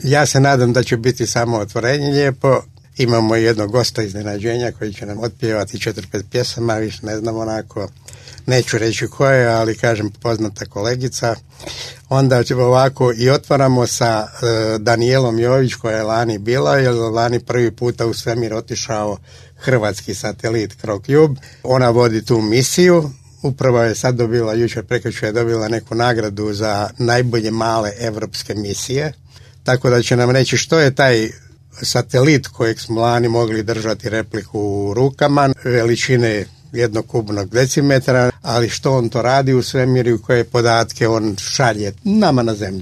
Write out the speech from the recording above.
Ja se nadam da će biti samo otvorenje lijepo. Imamo jednog gosta iznenađenja koji će nam otpjevati 4-5 pjesama, više ne znam onako, neću reći ko je, ali kažem poznata kolegica. Onda ovako i otvaramo sa Danijelom Jović koja je lani bila, jer lani prvi puta u svemir otišao hrvatski satelit Crocube. Ona vodi tu misiju. Upravo je sad dobila, jučer prekjučer je dobila neku nagradu za najbolje male evropske misije. Tako da će nam reći što je taj satelit kojeg smo lani mogli držati repliku u rukama, veličine jednog kubnog decimetra, ali što on to radi u svemiru i koje podatke on šalje nama na zemlji.